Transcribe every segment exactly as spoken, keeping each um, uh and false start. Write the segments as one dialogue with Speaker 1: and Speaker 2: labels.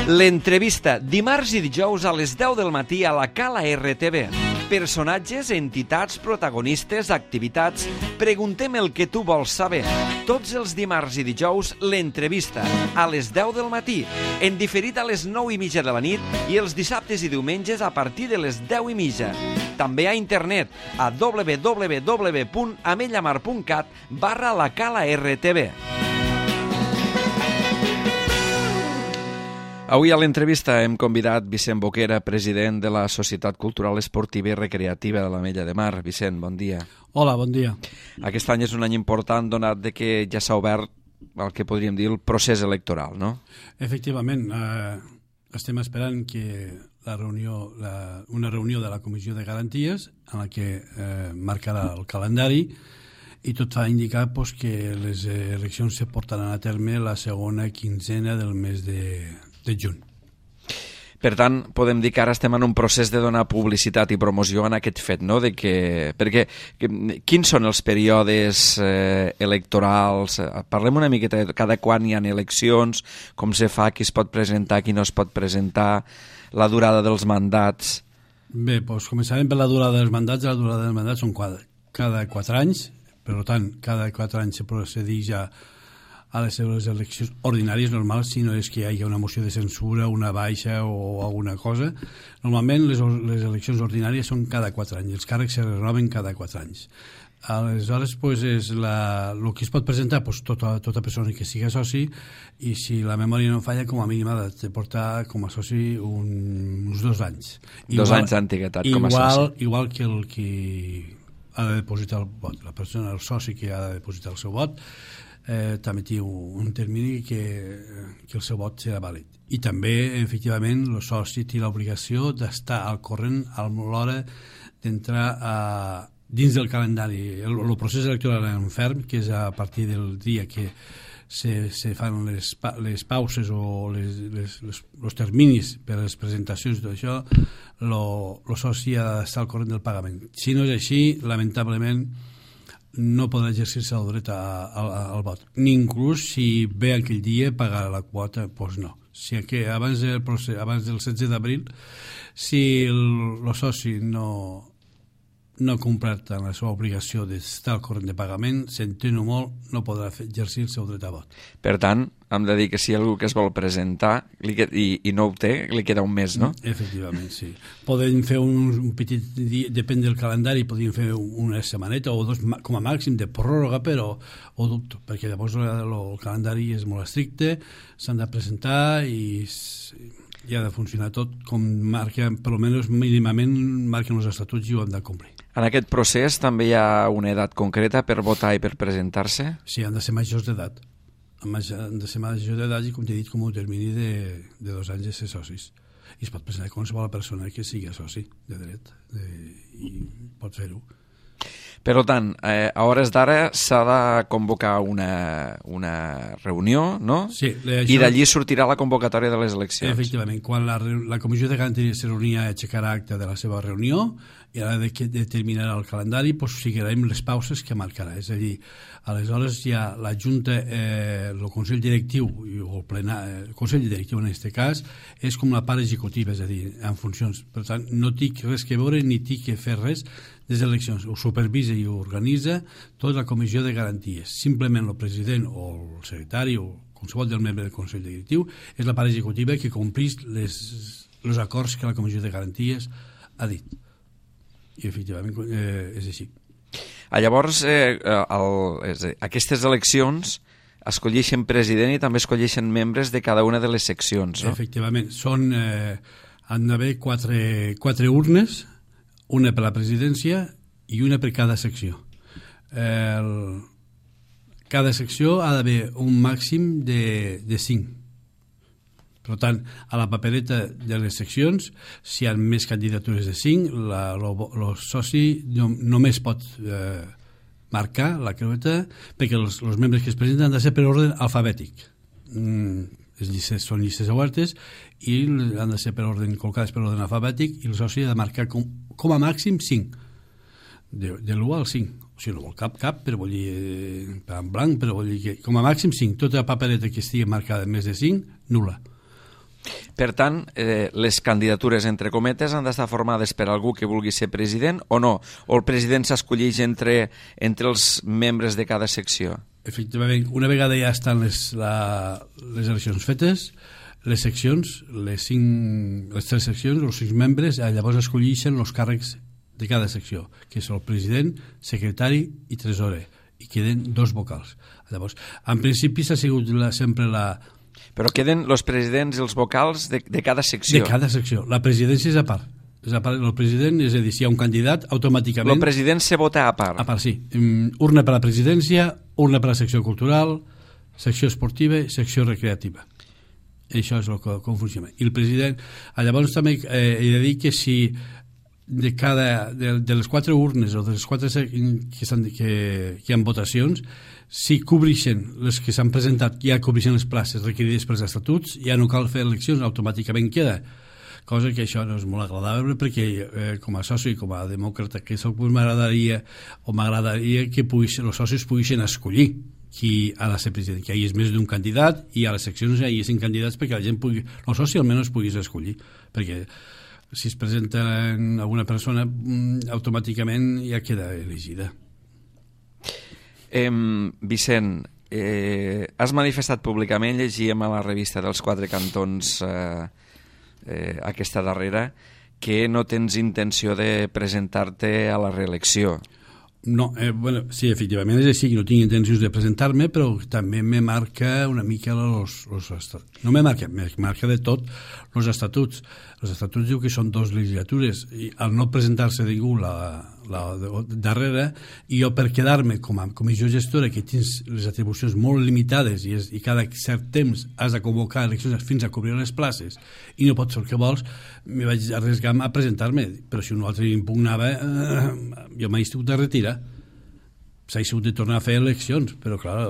Speaker 1: L'entrevista, dimarts i dijous a les deu del matí a la Cala R T V. Personatges, entitats, protagonistes, activitats... Preguntem el que tu vols saber. Tots els dimarts i dijous, l'entrevista, a les deu del matí, en diferit a les nou i mitja de la nit i els dissabtes i diumenges a partir de les deu i mitja. També a internet, a w w w punt amellamar punt cat barra la Cala R T V. Avui a l'entrevista hem convidat Vicent Boquera, president de la Societat Cultural Esportiva i Recreativa de l'Ametlla de Mar. Vicent, bon dia.
Speaker 2: Hola, bon dia.
Speaker 1: Aquest any és un any important donat de que ja s'ha obert el que podríem dir el procés electoral, no?
Speaker 2: Efectivament, eh, estem esperant que la reunió, la, una reunió de la Comissió de Garanties en la que eh, marcarà el calendari i tot fa indicar pues, que les eleccions se portaran a terme la segona quinzena del mes de, de juny.
Speaker 1: Per tant, podem dir que ara estem en un procés de donar publicitat i promoció en aquest fet, no? De que, perquè, que, quins són els períodes eh, electorals? Parlem una miqueta de cada quan hi ha eleccions, com se fa, qui es pot presentar, qui no es pot presentar, la durada dels mandats.
Speaker 2: Bé, doncs començarem per la durada dels mandats. La durada dels mandats són cada, cada quatre anys, per tant, cada quatre anys se procedeix a a les seves eleccions ordinàries normals, si no és que hi hagi una moció de censura, una baixa o alguna cosa. Normalment les, les eleccions ordinàries són cada quatre anys, els càrrecs se renoven cada quatre anys. Aleshores, pues, és la, el que es pot presentar pues, tota, tota persona que sigui soci, i si la memòria no falla, com a mínim ha de portar com a soci un, uns dos anys.
Speaker 1: Igual, dos anys d'antiguitat com a
Speaker 2: igual,
Speaker 1: soci.
Speaker 2: Igual que el que ha de depositar el vot. La persona, el soci que ha de depositar el seu vot, Eh, també té un termini que, que el seu vot serà vàlid. I també, efectivament, el soci té l'obligació d'estar al corrent a l'hora d'entrar a, dins del calendari. El, el procés electoral en ferm, que és a partir del dia que se, se fan les, les pauses o les, les, les, els terminis per a les presentacions i tot això, el soci ha d'estar al corrent del pagament. Si no és així, lamentablement, no podrà exercir-se el dret al vot. Ni inclús si ve aquell dia pagar la quota, doncs no. Si que abans del, procés, abans del setze d'abril, si el, el soci no, no ha complert la seva obligació d'estar al corrent de pagament, s'entén molt, no podrà exercir el seu dret a vot.
Speaker 1: Per tant, hem de dir que si hi ha algú que es vol presentar li, i, i no ho té, li queda un mes, no?
Speaker 2: Efectivament, sí. Podem fer un, un petit dia, depèn del calendari, podem fer una setmaneta o dos com a màxim de pròrroga, però ho dubto, perquè llavors el, el calendari és molt estricte, s'han de presentar i, i ha de funcionar tot com marca, per almenys mínimament marquen els estatuts i ho han de complir.
Speaker 1: En aquest procés també hi ha una edat concreta per votar i per presentar-se?
Speaker 2: Sí, han de ser majors d'edat. Han de ser majors d'edat i, com t'he dit, com un termini de, de dos anys de ser socis. I es pot presentar qualsevol persona que sigui soci de dret de, i pot fer-ho.
Speaker 1: Per tant, eh, a hores d'ara s'ha de convocar una, una reunió, no?
Speaker 2: Sí. Això...
Speaker 1: I d'allí sortirà la convocatòria de les eleccions.
Speaker 2: Efectivament. Quan la, la Comissió de Garanties se reunia, aixecarà acte de la seva reunió i a l'hora de determinar el calendari pues, seguirem les pauses que marcarà. És a dir, aleshores ja la Junta, eh, el Consell Directiu, o el, plenar, el Consell Directiu en aquest cas, és com la part executiva, és a dir, en funcions. Per tant, no tinc res que veure ni tinc que fer res des d'eleccions. Ho supervisa i ho organitza tota la Comissió de Garanties. Simplement el president o el secretari o qualsevol del membre del Consell Directiu és la part executiva que complís les, els acords que la Comissió de Garanties ha dit. I efectivament eh, és així.
Speaker 1: Ah, llavors, eh, el, és, aquestes eleccions escolleixen president i també escolleixen membres de cada una de les seccions, no?
Speaker 2: Efectivament. Són, eh, han d'haver quatre, quatre urnes, una per la presidència i una per cada secció. El, cada secció ha d'haver un màxim de, de cinc. Per tant, a la papereta de les seccions, si hi ha més candidatures de cinc, el soci no, només pot eh, marcar la creueta perquè els, els membres que es presenten han de ser per ordre alfabètic. Mm, les llistes són llistes obertes i han de ser per ordre, col·locades per ordre alfabètic, i el soci ha de marcar com, com a màxim cinc, de, de l'u al cinc. O sigui, no vol cap, cap, però vol dir eh, en blanc, però vol dir que com a màxim cinc. Tota la papereta que estigui marcada més de cinc, nul·la.
Speaker 1: Per tant, eh, les candidatures, entre cometes, han d'estar formades per algú que vulgui ser president o no? O el president s'escolleix entre, entre els membres de cada secció?
Speaker 2: Efectivament, una vegada ja estan les, la, les eleccions fetes, les seccions, les, cinc, les tres seccions, els cinc membres, llavors escolleixen els càrrecs de cada secció, que són el president, secretari i tresorer, i queden dos vocals. Llavors, en principi s'ha sigut la, sempre la...
Speaker 1: Però queden els presidents i els vocals de, de cada secció.
Speaker 2: De cada secció. La presidència és a part. És a part el president, és a dir, si hi ha un candidat, automàticament...
Speaker 1: El president se vota a part.
Speaker 2: A part, sí. Um, urna per a la presidència, urna per a la secció cultural, secció esportiva i secció recreativa. Això és el que, com funciona. I el president... Llavors també eh, he de dir que si de cada de, de les quatre urnes o de les quatre que, estan, que, que hi ha votacions, si cobreixen les que s'han presentat, ja cobreixen les places requerides pels estatuts, ja no cal fer eleccions, automàticament queda. Cosa que això no és molt agradable perquè eh, com a soci i com a demòcrata que soc, pues, m'agradaria o m'agradaria que puguis, els socis poguessin escollir qui ha de ser president, que hi és més d'un candidat i a les seccions hi hagin candidats perquè la gent pugui, el soci almenys puguis escollir, perquè si es presenta alguna persona automàticament ja queda elegida.
Speaker 1: Eh, Vicent, eh, has manifestat públicament, llegíem a la revista dels Quatre Cantons eh, eh, aquesta darrera, que no tens intenció de presentar-te a la reelecció.
Speaker 2: No, eh, bueno, sí, efectivament és així, que no tinc intencions de presentar-me, però també me marca una mica los, los estatuts. No me marca, me marca de tot els estatuts. Els estatuts diu que són dos legislatures i al no presentar-se ningú la, la darrera, i jo per quedar-me com a comissió gestora que tens les atribucions molt limitades i, és, i cada cert temps has de convocar eleccions fins a cobrir les places i no pots fer el que vols, me vaig arriesgar a presentar-me, però si un altre impugnava eh, jo m'he estat de retirar, s'ha hagut de tornar a fer eleccions, però clar,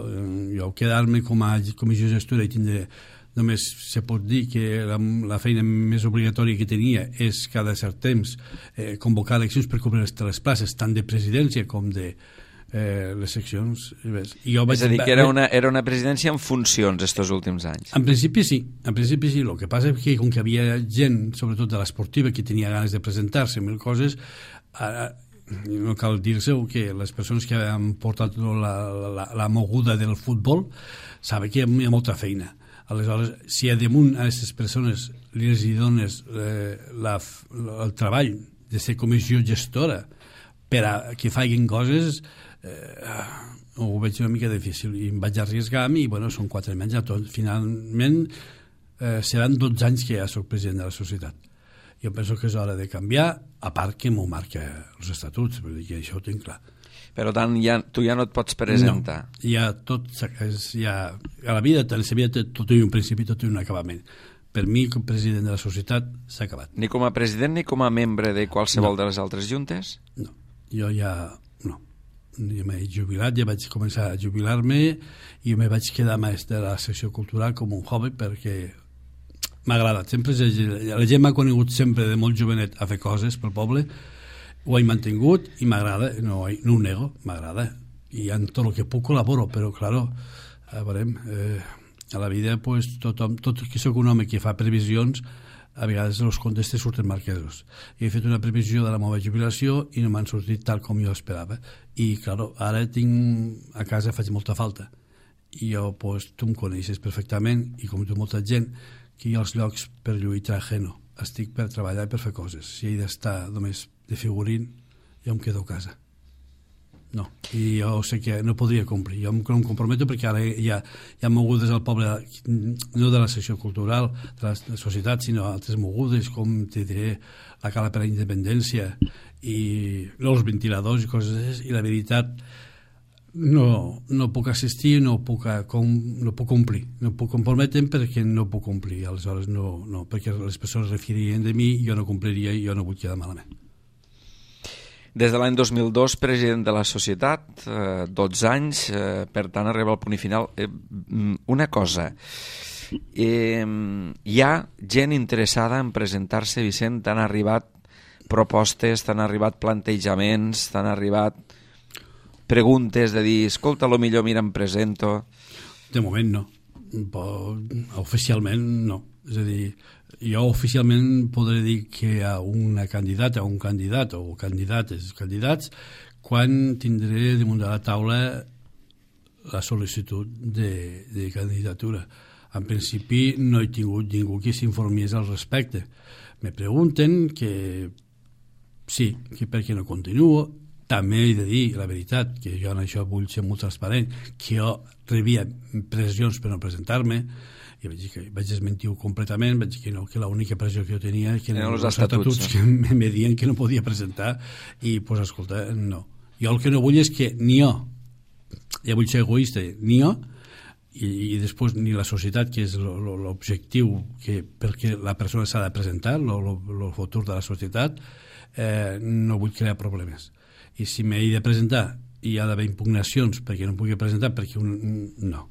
Speaker 2: jo quedar-me com a comissió gestora i tindre, només se pot dir que la, la feina més obligatòria que tenia és cada cert temps eh, convocar eleccions per cobrir les, les places, tant de presidència com de eh, les seccions. I jo vaig,
Speaker 1: és a dir, que era una, era una presidència en funcions estos últims anys.
Speaker 2: En principi sí, en principi sí. El que passa és que com que havia gent, sobretot de l'esportiva, que tenia ganes de presentar-se mil coses, ara, no cal dir-se que les persones que han portat la, la, la moguda del futbol saben que hi ha molta feina. Aleshores, si a damunt a aquestes persones les hi dones eh, la, el treball de ser comissió gestora per a que facin coses, eh, ho veig una mica difícil i em vaig arriesgar-me i bueno, són quatre anys, tot, finalment eh, seran dotze anys que ja soc president de la societat. Jo penso que és hora de canviar, a part que m'ho marca els estatuts, vull dir que això ho tinc clar.
Speaker 1: Per tant, ja, tu ja no et pots presentar.
Speaker 2: No, ja tot, ja, a la vida, a la vida tot té un principi, tot té un acabament. Per mi, com president de la societat, s'ha acabat.
Speaker 1: Ni com a president ni com a membre de qualsevol no. de les altres juntes?
Speaker 2: No, jo ja no. Jo m'he jubilat, ja vaig començar a jubilar-me i jo me vaig quedar més de la secció cultural com un hobby perquè m'ha agradat. Sempre, la gent m'ha conegut sempre de molt jovenet a fer coses pel poble. Ho he mantingut i m'agrada, no, no ho nego, m'agrada. I en tot el que puc col·laboro, però, claro, a, veurem, eh, a la vida, pues, tothom, tot que soc un home que fa previsions, a vegades els comptes te surten marquesos. I he fet una previsió de la meva jubilació i no m'han sortit tal com jo esperava. I, claro, ara tinc, a casa faig molta falta. I jo, pues, tu em coneixes perfectament, i com tu molta gent, que jo als llocs per lluitar ajeno. Estic per treballar i per fer coses. Si he d'estar només de figurín, jo em quedo a casa. No, i jo sé que no podria complir. Jo em, no em comprometo perquè ara hi ha, hi ha mogudes al poble, no de la secció cultural, de la, de la societat, sinó altres mogudes, com te diré, la Cala per la Independència i els ventiladors i coses, i la veritat no, no puc assistir, no puc, com, no puc complir, no puc comprometre perquè no puc complir, aleshores no, no, perquè les persones referirien de mi, jo no compliria i jo no vull quedar malament.
Speaker 1: Des de l'any dos mil dos, president de la societat, eh, dotze anys, eh, per tant arriba al punt i final. Eh, una cosa, eh, hi ha gent interessada en presentar-se, Vicent? T'han arribat propostes, t'han arribat plantejaments, t'han arribat preguntes de dir, escolta, lo millor, mira, em presento?
Speaker 2: De moment no. Però, oficialment no. És a dir, jo oficialment podré dir que hi ha una candidata o un candidat o candidates, candidats, quan tindré damunt de la taula la sol·licitud de, de candidatura. En principi no he tingut ningú que s'informés al respecte. Me pregunten que sí, que per què no continuo. També he de dir la veritat, que jo en això vull ser molt transparent, que jo rebia pressions per no presentar-me, i vaig dir que vaig desmentir-ho completament, vaig dir que no, que l'única pressió que jo tenia que eren els estatuts, estatuts que me deien que no podia presentar, i pues escolta, no. Jo el que no vull és que ni jo, ja vull ser egoista, ni jo, i, i després ni la societat, que és l'objectiu que perquè la persona s'ha de presentar, el futur de la societat, eh, no vull crear problemes. I si m'he de presentar i hi ha d'haver impugnacions perquè no em pugui presentar, perquè un, no.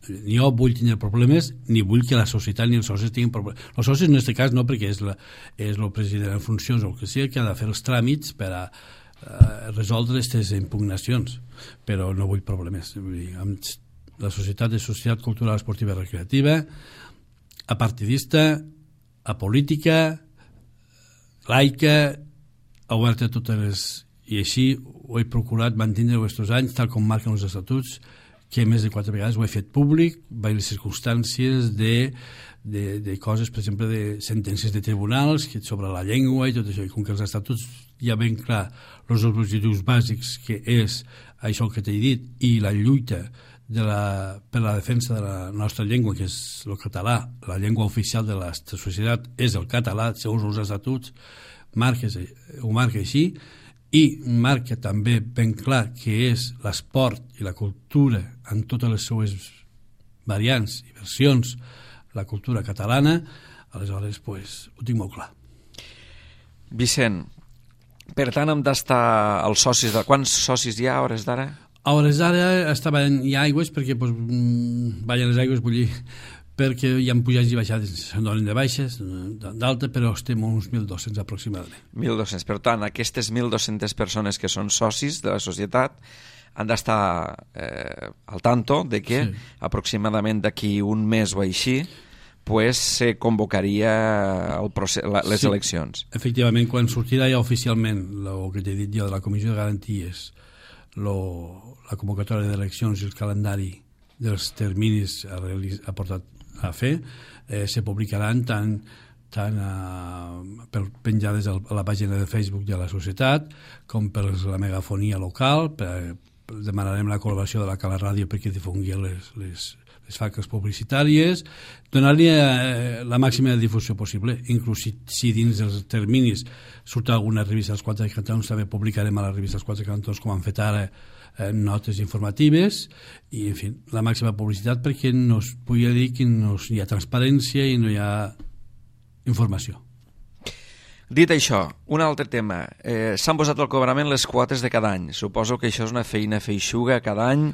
Speaker 2: Ni jo vull tenir problemes, ni vull que la societat ni els socis tinguin problemes. Els socis en aquest cas no, perquè és, la, és el president en funcions o el que sigui que ha de fer els tràmits per a uh, resoldre aquestes impugnacions, però no vull problemes. Vull dir, amb la societat és societat cultural, esportiva i recreativa, apartidista, apolítica, laica, oberta a totes les... I així ho he procurat mantenir aquests anys, tal com marquen els estatuts, que més de quatre vegades ho he fet públic, vaig les circumstàncies de, de, de coses, per exemple, de sentències de tribunals que sobre la llengua i tot això, i com que els estatuts ja ben clar els objectius bàsics, que és això que t'he dit, i la lluita de la, per la defensa de la nostra llengua, que és el català, la llengua oficial de la societat és el català, segons els estatuts, marques, ho marca així, i marca també ben clar que és l'esport i la cultura en totes les seues variants i versions, la cultura catalana, aleshores pues, ho tinc molt clar.
Speaker 1: Vicent, per tant hem d'estar els socis de... Quants socis hi ha a hores d'ara?
Speaker 2: A hores d'ara estaven hi ha aigües perquè pues, ballen les aigües, vull dir, perquè hi ha pujats i baixades, se'n donen de baixes, d'alta, però estem uns mil dos-cents aproximadament.
Speaker 1: mil dos-cents. Per tant, aquestes mil dos-centes persones que són socis de la societat han d'estar eh, al tanto de que sí. Aproximadament d'aquí un mes o així pues, se convocaria el procés, la, les sí. eleccions.
Speaker 2: Efectivament, quan sortirà ja oficialment el que t'he dit jo de la Comissió de Garanties, lo, la convocatòria d'eleccions i el calendari dels terminis a, a portat a fer, eh, se publicaran tant, tant a, per penjades a la pàgina de Facebook de la societat com per la megafonia local. Per, demanarem la col·laboració de la Cala Ràdio perquè difongui les, les, les faques publicitàries, donar-li eh, la màxima difusió possible. Inclús si, si dins dels terminis surt alguna revista dels Quatre Cantons, també publicarem a la revista dels Quatre Cantons, com han fet ara, Eh, notes informatives i, en fi, la màxima publicitat perquè no es pugui dir que no hi ha transparència i no hi ha informació.
Speaker 1: Dit això, un altre tema. Eh, s'han posat al cobrament les quotes de cada any. Suposo que això és una feina feixuga cada any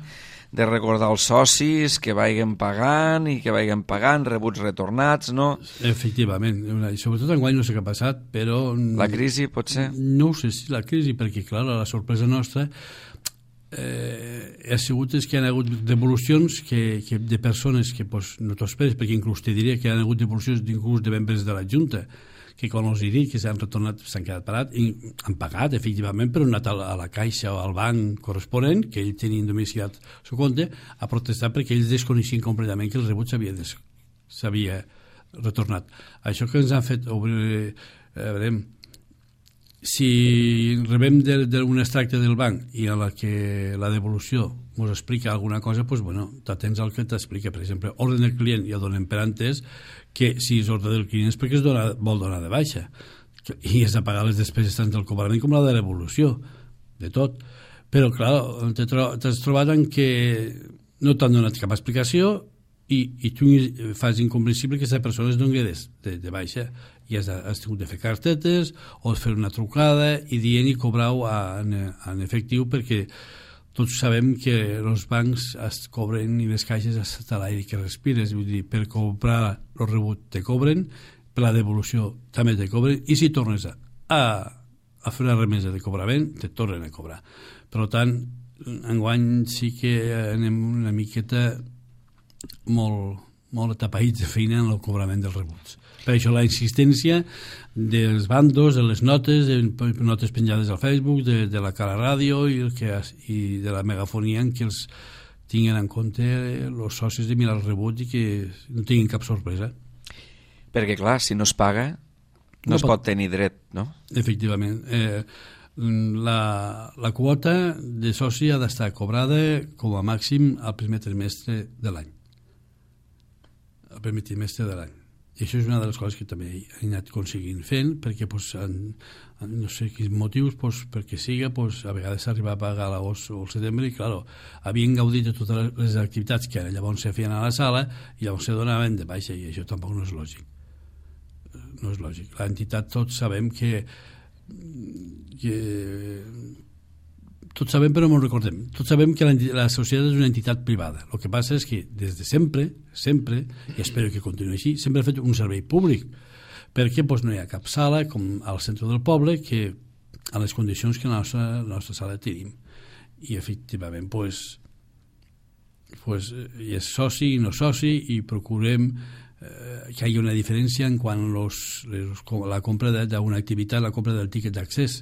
Speaker 1: de recordar els socis que vagin pagant i que vagin pagant, rebuts retornats, no?
Speaker 2: Efectivament. Sobretot enguany no sé què ha passat, però...
Speaker 1: La crisi, potser?
Speaker 2: No ho sé si la crisi, perquè, clar, la sorpresa nostra eh, ha sigut és que hi ha hagut devolucions que, que de persones que pues, no t'ho esperes, perquè inclús te diria que hi ha hagut devolucions inclús de membres de la Junta, que quan els he dit que s'han retornat s'han quedat parats i han pagat efectivament, però han anat a la caixa o al banc corresponent, que ells tenien domiciliat el seu compte, a protestar perquè ells desconeixien completament que el rebut s'havia des... s'havia retornat. Això que ens han fet obrir, eh, veurem, si rebem d'un extracte del banc i a la que la devolució ens explica alguna cosa, doncs, bueno, t'atens al que t'explica. Per exemple, ordre del client ja donem per entès que si és ordre del client és perquè es dona, vol donar de baixa i has de pagar les despeses tant del cobrament com la de l'evolució, de tot. Però, clar, t'has trobat en que no t'han donat cap explicació i, i tu fas incomprensible que aquesta persona es doni de, de, de baixa i has, de, has tingut de fer cartetes o fer una trucada i dient i cobrar-ho en, en efectiu, perquè tots sabem que els bancs es cobren i les caixes hasta l'aire que respires, vull dir, per cobrar el rebut te cobren, per la devolució també te cobren, i si tornes a, a fer una remesa de cobrament te tornen a cobrar. Per tant, enguany sí que anem una miqueta molt, molt atapeïts de feina en el cobrament dels rebuts. Per això la insistència dels bandos, de les notes, de notes penjades al Facebook, de, de la Cala Ràdio i, el que, i de la megafonia en què els tinguin en compte els socis de mirar el rebut i que no tinguin cap sorpresa.
Speaker 1: Perquè, clar, si no es paga, no, no es pot, pot tenir dret, no? Efectivament.
Speaker 2: Eh, la, la quota de soci ha d'estar cobrada com a màxim al primer trimestre de l'any. Al primer trimestre de l'any. I això és una de les coses que també he anat aconseguint fent, perquè pues, en, en no sé quins motius, pues, perquè siga, pues, a vegades s'arriba a pagar a l'agost o al setembre i, clar, havien gaudit de totes les activitats que llavors se feien a la sala i llavors se donaven de baixa, i això tampoc no és lògic. No és lògic. L'entitat, tots sabem que, que tots sabem però no ho recordem, tots sabem que la, la societat és una entitat privada. El que passa és que des de sempre, sempre, i espero que continuï així, sempre ha fet un servei públic, perquè doncs, no hi ha cap sala com al centre del poble que a les condicions que la nostra, la nostra sala tenim. I efectivament doncs, doncs, hi és soci i no soci i procurem eh, que hi hagi una diferència en quant los, los, la compra d'una activitat, la compra del tiquet d'accés,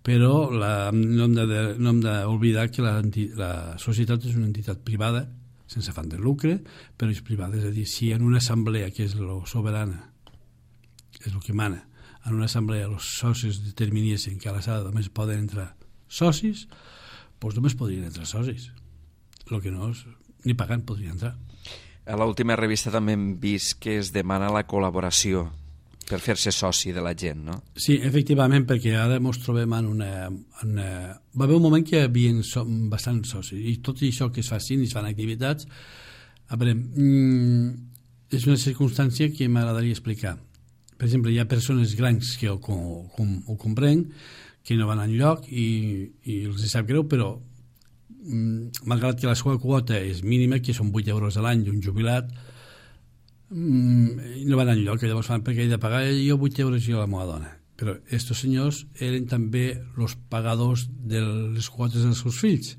Speaker 2: però la, no hem d'oblidar que la, la societat és una entitat privada, sense afany de lucre, però és privada. És a dir, si en una assemblea, que és la soberana, és el que mana, en una assemblea els socis determinessin que a la sala només poden entrar socis, doncs només podrien entrar socis. El que no és, ni pagant podrien entrar.
Speaker 1: A l'última revista també hem vist que es demana la col·laboració per fer-se soci de la gent, no?
Speaker 2: Sí, efectivament, perquè ara ens trobem en una, en una... Va haver un moment que hi havia so, bastants socis, i tot això que es facin i es fan activitats, a veure, mmm, és una circumstància que m'agradaria explicar. Per exemple, hi ha persones grans que ho, com, ho comprenc, que no van enlloc i, i els sap greu, però mmm, malgrat que la seva quota és mínima, que són vuit euros a l'any d'un jubilat, Mm, no van enlloc, que llavors fan perquè he de pagar jo vuit euros i la meva dona. Però estos senyors eren també els pagadors de les quotes dels seus fills.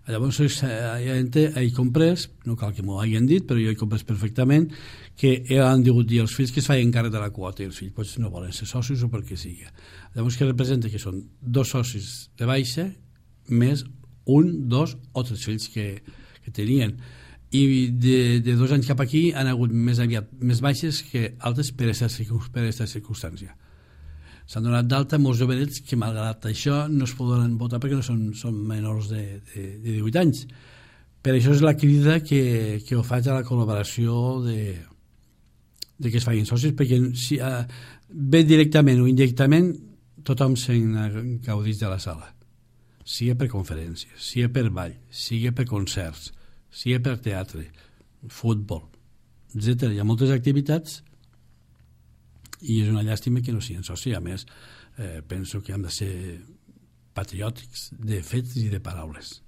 Speaker 2: Llavors he comprès, no cal que m'ho hagin dit, però jo he comprès perfectament que han digut dir als fills que es feien càrrec de la quota i els fills pues, no volen ser socis o pel que sigui. Llavors que representa que són dos socis de baixa més un, dos o tres fills que, que tenien. I de, de dos anys cap aquí han hagut més aviat més baixes que altes per aquesta circumstància. S'han donat d'alta molts jovenets que malgrat això no es poden votar perquè no són, són menors de, de, de divuit anys. Per això és la crida que, que ho faig a la col·laboració de, de que es facin socis, perquè si, uh, bé directament o indirectament tothom se'n gaudeix de la sala, sigui per conferències, sigui per ball, sigui per concerts, sigui per teatre, futbol, etcètera. Hi ha moltes activitats i és una llàstima que no siguin socis. A més, eh, penso que hem de ser patriòtics de fets i de paraules.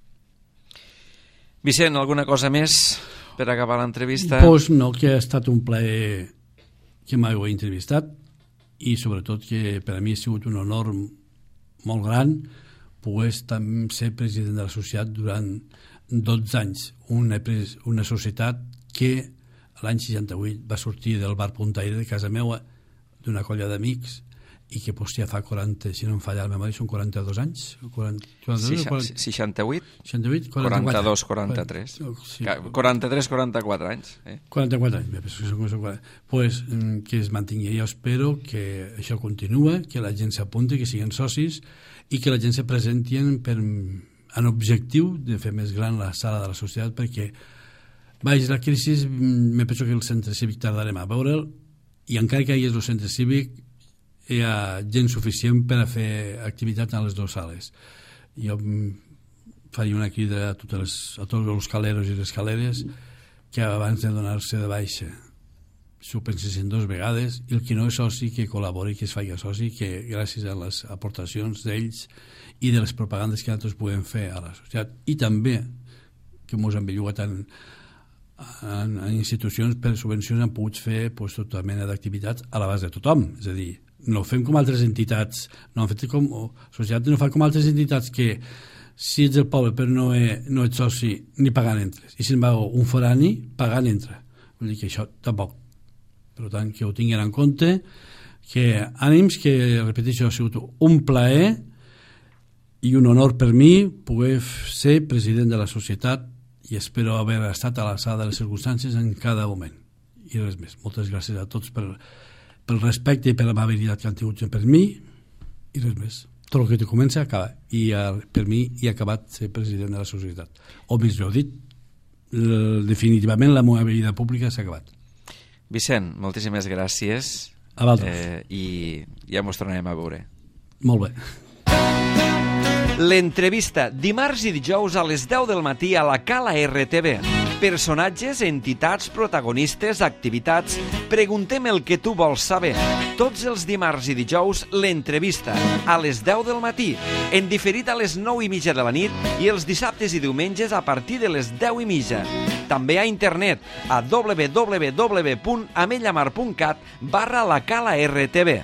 Speaker 1: Vicent, alguna cosa més per acabar l'entrevista?
Speaker 2: Pues no, que ha estat un plaer que m'heu entrevistat i sobretot que per a mi ha sigut un honor molt gran poder ser president de la societat durant dotze anys, una, una societat que l'any seixanta-vuit va sortir del bar Puntaire de casa meua d'una colla d'amics i que pues, ja fa quaranta, si no em falla la memòria, són quaranta-dos anys. quaranta, quaranta-dos, quaranta,
Speaker 1: seixanta-vuit?
Speaker 2: seixanta-vuit,
Speaker 1: quaranta-dos, quaranta-tres. Sí. quaranta-tres, quaranta-quatre anys. Eh?
Speaker 2: quaranta-quatre anys, bé, pues, pues, que es mantingui. Jo espero que això continua, que la gent s'apunti, que siguin socis i que la gent se presenti per en objectiu de fer més gran la sala de la societat, perquè vaig, la crisi me penso que el centre cívic tardarem a veure'l i encara que hi hagi el centre cívic hi ha gent suficient per a fer activitat a les dues sales. Jo faria una crida a, totes les, a tots els caleros i les caleres que abans de donar-se de baixa s'ho pensessin dues vegades i el que no és soci que col·labori, que es faci soci, que gràcies a les aportacions d'ells i de les propagandes que nosaltres podem fer a la societat i també que ens han bellugat en, en, en institucions per subvencions han pogut fer pues, tota mena d'activitats a l'abast de tothom, és a dir, no fem com altres entitats, no han fet com o, societat no fa com altres entitats que si ets del poble però no, he, no ets soci ni pagant entres, i si en va un forani pagant entra, Vull dir que això tampoc. Per tant, que ho tinguin en compte, que ànims, que, repeteixo, ha sigut un plaer i un honor per mi poder ser president de la societat i espero haver estat a l'alçada de les circumstàncies en cada moment. I res més. Moltes gràcies a tots per, pel respecte i per l'amabilitat que han tingut per mi i res més. Tot el que te comença acaba. I per mi hi ha acabat ser president de la societat. O més ho dit, definitivament la meva vida pública s'ha acabat.
Speaker 1: Vicent, moltíssimes gràcies.
Speaker 2: A vosaltres.
Speaker 1: Eh, I ja mos tornarem a veure.
Speaker 2: Molt bé.
Speaker 1: L'entrevista, dimarts i dijous a les deu del matí a la Cala R T V. Personatges, entitats, protagonistes, activitats... Preguntem el que tu vols saber. Tots els dimarts i dijous, l'entrevista, a les deu del matí, en diferit a les nou i mitja de la nit i els dissabtes i diumenges a partir de les deu i mitja. També a internet, a w w w punt amellamar punt cat barra la Cala R T V.